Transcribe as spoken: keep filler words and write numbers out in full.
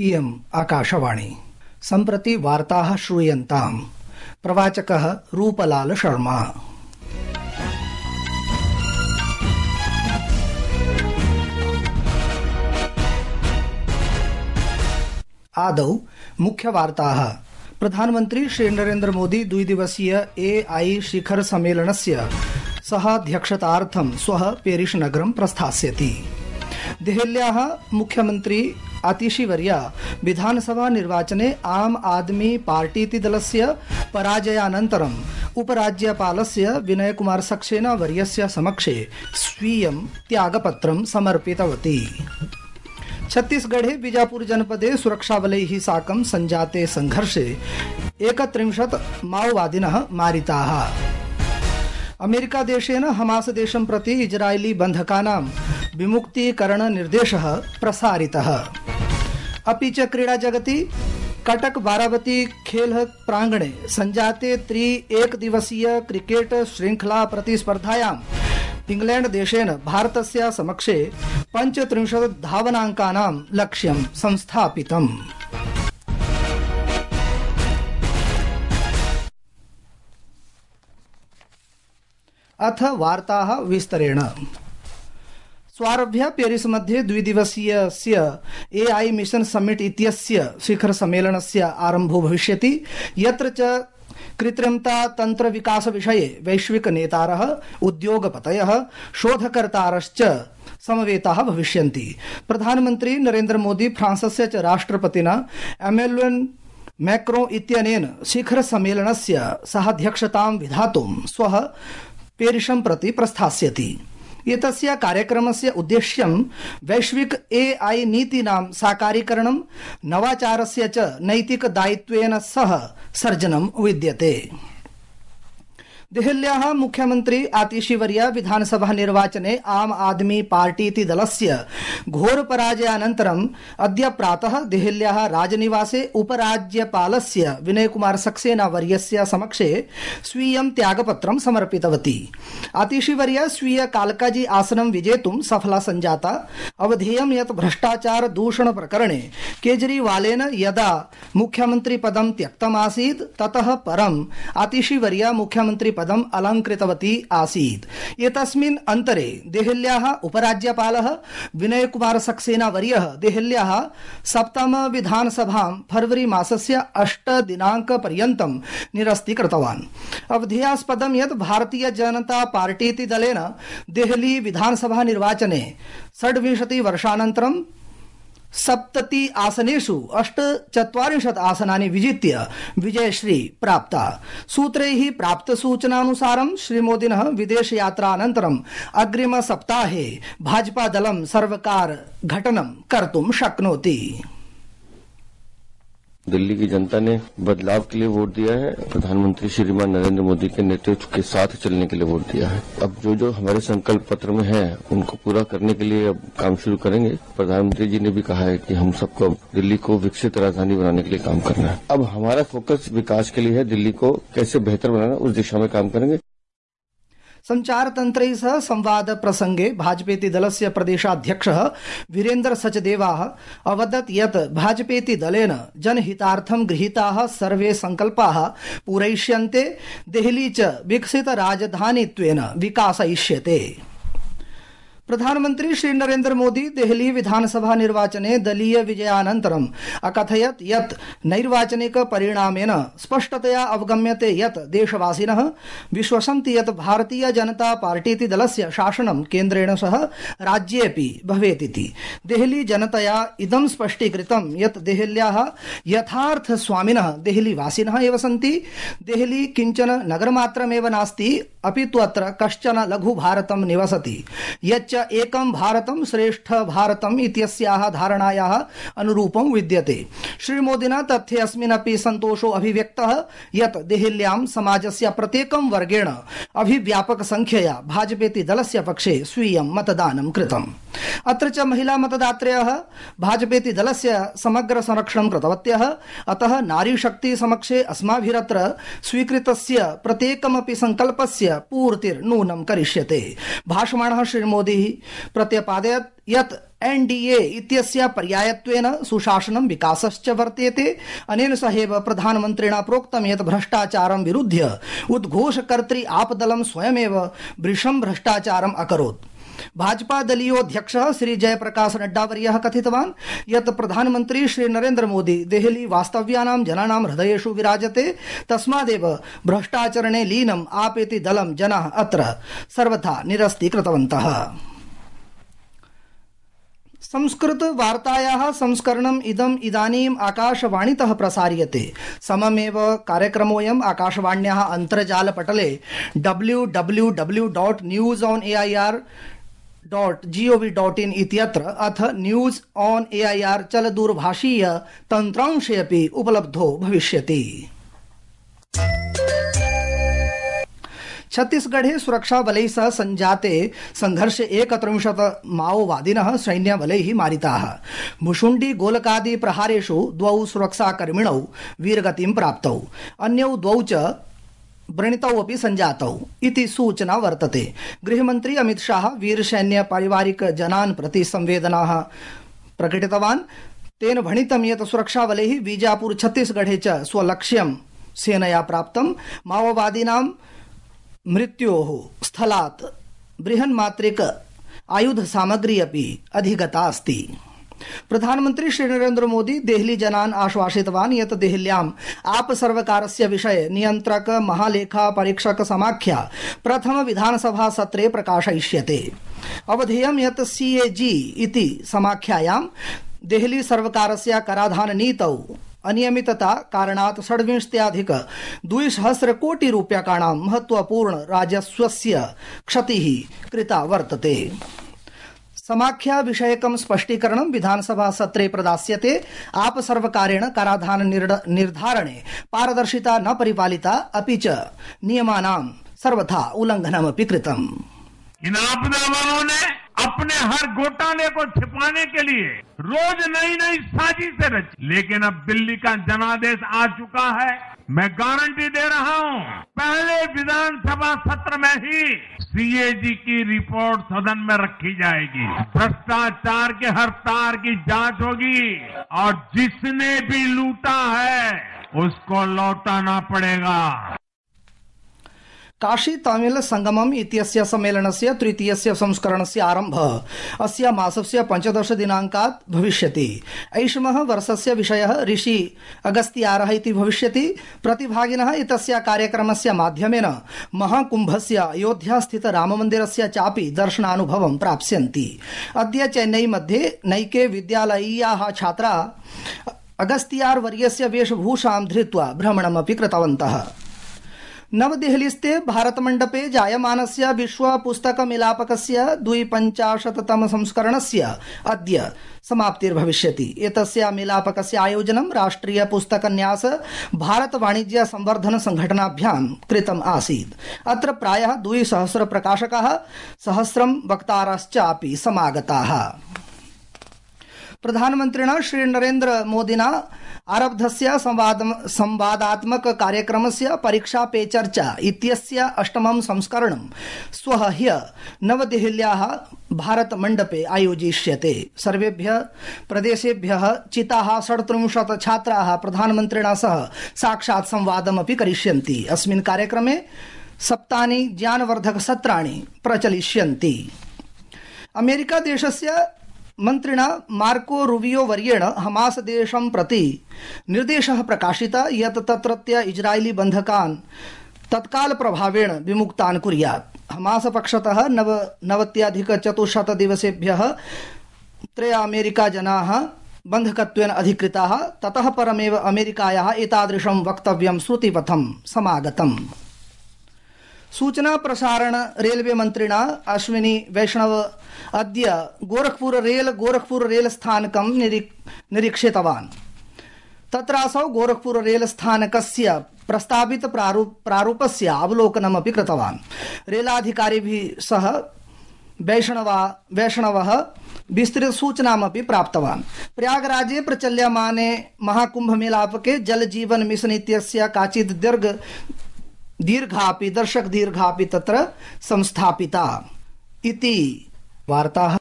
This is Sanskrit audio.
इयम् आकाशवाणी। सम्प्रति वार्ताः श्रूयन्ताम्। प्रवाचकः रूपलाल शर्मा। आदौ मुख्यवार्ताः। प्रधानमन्त्री श्री नरेन्द्र मोदी द्विदिवसीय ए आई शिखर सम्मेलनस्य सहाध्यक्षतार्थं श्वः पेरिस नगरं प्रस्थास्यति। देहल्याः मुख्यमन्त्री आतिशीवर्या विधानसभा निर्वाचने आम आदमी पार्टीति दलस्य पराजयानन्तरम् उपराज्यपालस्य विनय कुमार सक्सेना वर्यस्य समक्षे स्वीयं त्यागपत्रं समर्पितवती। छत्तीसगढ़े बीजापुर जनपदे सुरक्षाबलैः साकं संजाते संघर्षे एकत्रिंशत् माओवादिनः मारिताः। अमेरिका देशेन हमास देशं प्रति इजरायली बन्धकानां विमुक्तीकरण निर्देशः प्रसारितः। अपि च क्रीडा जगति कटक बारावती खेल प्रांगणे संजाते त्रि एक दिवसीय क्रिकेट श्रृंखला प्रतिस्पर्धायां इंग्लैंड देशेन भारतस्य समक्षे पञ्चत्रिंशत् धावनाङ्कानां लक्ष्यं संस्थापितम्। अथ वार्ताः विस्तरेण। स्वारभ्य पेरिस मध्ये द्विदिवसीयस्य ए आई मिशन समिट इत्यस्य शिखर सम्मेलनस्य आरम्भो भविष्यति, यत्र च कृत्रिमता तंत्र विकास विषये वैश्विक नेतारः, उद्योगपतयः, शोधकर्तारश्च समवेताः भविष्यन्ति। प्रधानमन्त्री नरेन्द्र मोदी फ्रांसस्य च राष्ट्रपतिना एमेन्युएल मैक्रों इत्यनेन शिखर सम्मेलनस्य सहाध्यक्षतां विधातुं श्वः पेरिसं प्रति प्रस्थास्यति। एतस्य कार्यक्रमस्य उद्देश्यं वैश्विक ए आई नीतीनां साकारीकरणं, नवाचारस्य च नैतिक दायित्वेन सह सर्जनं विद्यते। देहल्याः मुख्यमन्त्री आतिशीवर्या विधानसभा निर्वाचने आम आदमी पार्टीति दलस्य घोर पराजयानन्तरम् अद्य प्रातः देहल्याः राजनिवासे उपराज्यपालस्य विनय कुमार सक्सेना वर्यस्य समक्षे स्वीयं त्यागपत्रं समर्पितवती। आतिशीवर्या स्वीय कालकाजी आसनं विजेतुं सफला सञ्जाता। अवधेयं यत् भ्रष्टाचार दूषण प्रकरणे केजरीवालेन यदा मुख्यमन्त्री पदं त्यक्तमासीत् ततः परम् आतिशीवर्या मुख्यमन्त्री पदम् अलङ्कृतवती आसीत्। एतस्मिन् अन्तरे देहल्याः उपराज्यपालः विनय कुमार सक्सेना वर्यः देहल्याः सप्तम विधानसभां फरवरी मासस्य अष्ट दिनाङ्क पर्यन्तं निरस्तीकृतवान्। अवधेयास्पदं यत् भारतीय जनता पार्टीति दलेन देहली विधानसभा निर्वाचने षड्विंशति वर्षानन्तरं सप्तति आसनेषु अष्टचत्वारिंशत् आसनानि विजित्य विजयश्री प्राप्ता। सूत्रैः प्राप्तसूचनानुसारं श्रीमोदिनः विदेशयात्रानन्तरम् अग्रिम सप्ताहे भाजपा दलं सर्वकार घटनं कर्तुं शक्नोति। दिल्ली की जनता ने बदलाव के लिए वोट दिया है। प्रधानमंत्री श्रीमान नरेंद्र मोदी के नेतृत्व के साथ चलने के लिए वोट दिया है। अब जो जो हमारे संकल्प पत्र में है उनको पूरा करने के लिए अब काम शुरू करेंगे। प्रधानमंत्री जी ने भी कहा है कि हम सबको दिल्ली को विकसित राजधानी बनाने के लिए काम करना है। अब हमारा फोकस विकास के लिए है, दिल्ली को कैसे बेहतर बनाना, उस दिशा में काम करेंगे। संचार तंत्रैः सह संवाद प्रसंगे भाजपेति दलस्य प्रदेशाध्यक्षः वीरेन्द्र सचदेवाः अवदत् यत् भाजपेति दलेन जनहितार्थं गृहीताः सर्वे संकल्पाः पूरयिष्यन्ते। देहली च विकसित राजधानीत्वेन विकासयिष्यते। प्रधानमन्त्री श्री नरेन्द्र मोदी देहली विधानसभा निर्वाचने दलीय विजयानन्तरम् अकथयत् यत् नैर्वाचनिक परिणामेन स्पष्टतया अवगम्यते यत् देशवासिनः विश्वसन्ति यत् भारतीय जनता पार्टीति दलस्य शासनं केन्द्रेण सह राज्येऽपि भवेतिति। देहली जनतया इदं स्पष्टीकृतं यत् देहल्याः यथार्थ स्वामिनः देहलीवासिनः एव सन्ति। देहली किञ्चन नगरमात्रमेव नास्ति, अपि तु अत्र कश्चन लघु भारतं निवसति यच्च एकं भारतं श्रेष्ठ भारतम् इत्यस्याः धारणायाः अनुरूपं विद्यते। श्रीमोदिना तथ्ये अस्मिन्नपि सन्तोषो अभिव्यक्तः यत् देहल्यां समाजस्य प्रत्येकं वर्गेण अभिव्यापक संख्यया भाजपेति दलस्य पक्षे स्वीयं मतदानं कृतम्। अत्र च महिला मतदात्रयः भाजपेति दलस्य समग्र संरक्षणं कृतवत्यः। अतः नारी शक्ति समक्षे अस्माभिरत्र स्वीकृतस्य प्रत्येकमपि संकल्पस्य पूर्तिर्नूनं करिष्यते। भाषमाणः श्री मोदी प्रत्यपादयत् यत् एनडीए इत्यस्य पर्यायत्वेन सुशासनं विकासश्च वर्तेते। अनेन सहैव प्रधानमन्त्रिणा प्रोक्तं यत् भ्रष्टाचारं विरुध्य उद्घोषकर्तृ आपदलं स्वयमेव भृशं भ्रष्टाचारम् अकरोत्। भाजपा दलीयोऽध्यक्षः श्री जयप्रकाश नड्डावर्यः कथितवान् यत् प्रधानमन्त्री श्री नरेन्द्र मोदी देहली वास्तव्यानां जनानां हृदयेषु विराजते, तस्मादेव भ्रष्टाचरणे लीनम् आपेति दलं जनाः अत्र सर्वथा निरस्तीकृतवन्तः। संस्कृत वार्तायाः संस्करणम् इदम् इदानीम् आकाशवाणीतः प्रसार्यते। सममेव कार्यक्रमोऽयम् आकाशवाण्याः अन्तर्जालपटले W W W dot news on A I R dot gov dot in इत्यत्र अथ news on A I R चलदूरभाषीय तन्त्रांशे अपि उपलब्धो भविष्यति। छत्तीसगढ़े सुरक्षाबलैः सह संजाते संघर्षे एकत्रिंशत् माओवादिनः सैन्यबलैः मारिताः। भुशुण्डी गोलकादि प्रहारेषु द्वौ सुरक्षाकर्मिणौ वीरगतिं प्राप्तौ, अन्यौ द्वौ च व्रणितौ अपि संजातौ इति सूचना वर्तते। गृहमन्त्री अमित शाह वीरसैन्य पारिवारिक जनान् प्रति संवेदनाः प्रकटितवान्। तेन भणितं यत् सुरक्षाबलैः बीजापुर छत्तीसगढ़े च स्वलक्ष्यं सेनया प्राप्तं। माओवादिनां मृत्योः स्थलात् बृहन्मात्रिक आयुध सामग्री अपि अधिगता अस्ति। प्रधानमन्त्री श्री नरेन्द्र मोदी देहली जनान् आश्वासितवान् यत् देहल्याम् आप सर्वकारस्य विषये नियन्त्रक महालेखा परीक्षक समाख्या प्रथम विधानसभा सत्रे प्रकाशयिष्यते। अवधेयं यत् सीएजी इति समाख्यायां देहली सर्वकारस्य कराधान नीतौ अनियमितता कारणात् षड्विंशत्यधिक द्विसहस्र कोटि रूप्यकाणां महत्वपूर्ण राजस्वस्य क्षतिः कृता वर्तते। समाख्या विषयकं स्पष्टीकरणं विधानसभा सत्रे प्रदास्यते। आप सर्वकारेण कराधान निर्धारणे पारदर्शिता न परिपालिता, अपि च नियमानां सर्वथा उल्लंघनमपि कृतम्। इन आपदा वालों ने अपने हर घोटाले को छिपाने के लिए रोज नई नई साजिशें रची, लेकिन अब दिल्ली का जनादेश आ चुका है। मैं गारंटी दे रहा हूं, पहले विधानसभा सत्र में ही सीएजी की रिपोर्ट सदन में रखी जाएगी। भ्रष्टाचार के हर तार की जांच होगी और जिसने भी लूटा है उसको लौटाना पड़ेगा। काशी तमिल संगमम इत्यस्य सम्मेलनस्य तृतीयस्य संस्करणस्य आरम्भः अस्य मासस्य पञ्चदश दिनाङ्कात् भविष्यति। ऐषमः वर्षस्य विषयः ऋषि अगस्त्यारः इति भविष्यति। प्रतिभागिनः एतस्य कार्यक्रमस्य माध्यमेन महाकुम्भस्य अयोध्यास्थित राममन्दिरस्य चापि दर्शनानुभवं प्राप्स्यन्ति। अद्य चेन्नई मध्ये नैके विद्यालयीयाः छात्राः अगस्त्यार वर्यस्य वेशभूषां धृत्वा भ्रमणमपि कृतवन्तः। नवदेहलीस्थे भारतमण्डपे जायमानस्य विश्व पुस्तक मिलापकस्य द्विपञ्चाशत्तम संस्करणस्य अद्य समाप्तिर्भविष्यति। एतस्य मिलापकस्य आयोजनं राष्ट्रिय पुस्तकन्यास भारत वाणिज्य संवर्धन संघटनाभ्यां कृतम् आसीत्। अत्र प्रायः द्विसहस्र प्रकाशकाः सहस्रं वक्तारश्चापि समागताः। प्रधानमन्त्रिणा श्री नरेन्द्र मोदिना आरब्धस्य संवादात्मक कार्यक्रमस्य परीक्षा पे चर्चा इत्यस्य अष्टमं संस्करणं श्वः ह्य नवदेहल्याः भारत मण्डपे आयोजिष्यते। सर्वेभ्यः प्रदेशेभ्यः चिताः षड्त्रिंशत् छात्राः प्रधानमन्त्रिणा सह साक्षात् संवादमपि करिष्यन्ति। अस्मिन् कार्यक्रमे सप्तानि ज्ञानवर्धक सत्राणि प्रचलिष्यन्ति। अमेरिका देशस्य मन्त्रिणा मार्को रूबियो वर्येण हमास देशं प्रति निर्देशः प्रकाशितः यत् तत्रत्य इजरायली बन्धकान् तत्काल प्रभावेण विमुक्तान् कुर्यात्। हमास पक्षतः नव नवत्यधिक चतुश्शत दिवसेभ्यः त्रय अमेरिका जनाः बन्धकत्वेन अधिकृताः। ततः परमेव अमेरिकायाः एतादृशं वक्तव्यं श्रुतिपथं समागतम्। सूचना प्रसारण रेलवे मंत्रिणा अश्विनी वैष्णव अद्य गोरखपुर रेल गोरखपुर रेल स्थानकं निरीक्षितवान्। तत्रासौ गोरखपुर रेल स्थानकस्य प्रस्तावित प्रारूप प्रारूपस्य अवलोकनमपि कृतवान्। रेलाधिकारिभिः सह वैष्णवा वैष्णवः विस्तृत सूचनामपि प्राप्तवान्। प्रयागराजे प्रचल्यमाने महाकुंभ मेलापके जल जीवन मिशन इत्यस्य काचित् दीर्घ दीर्घापि दर्शक दीर्घापि तत्र संस्थापिता इति वार्ताः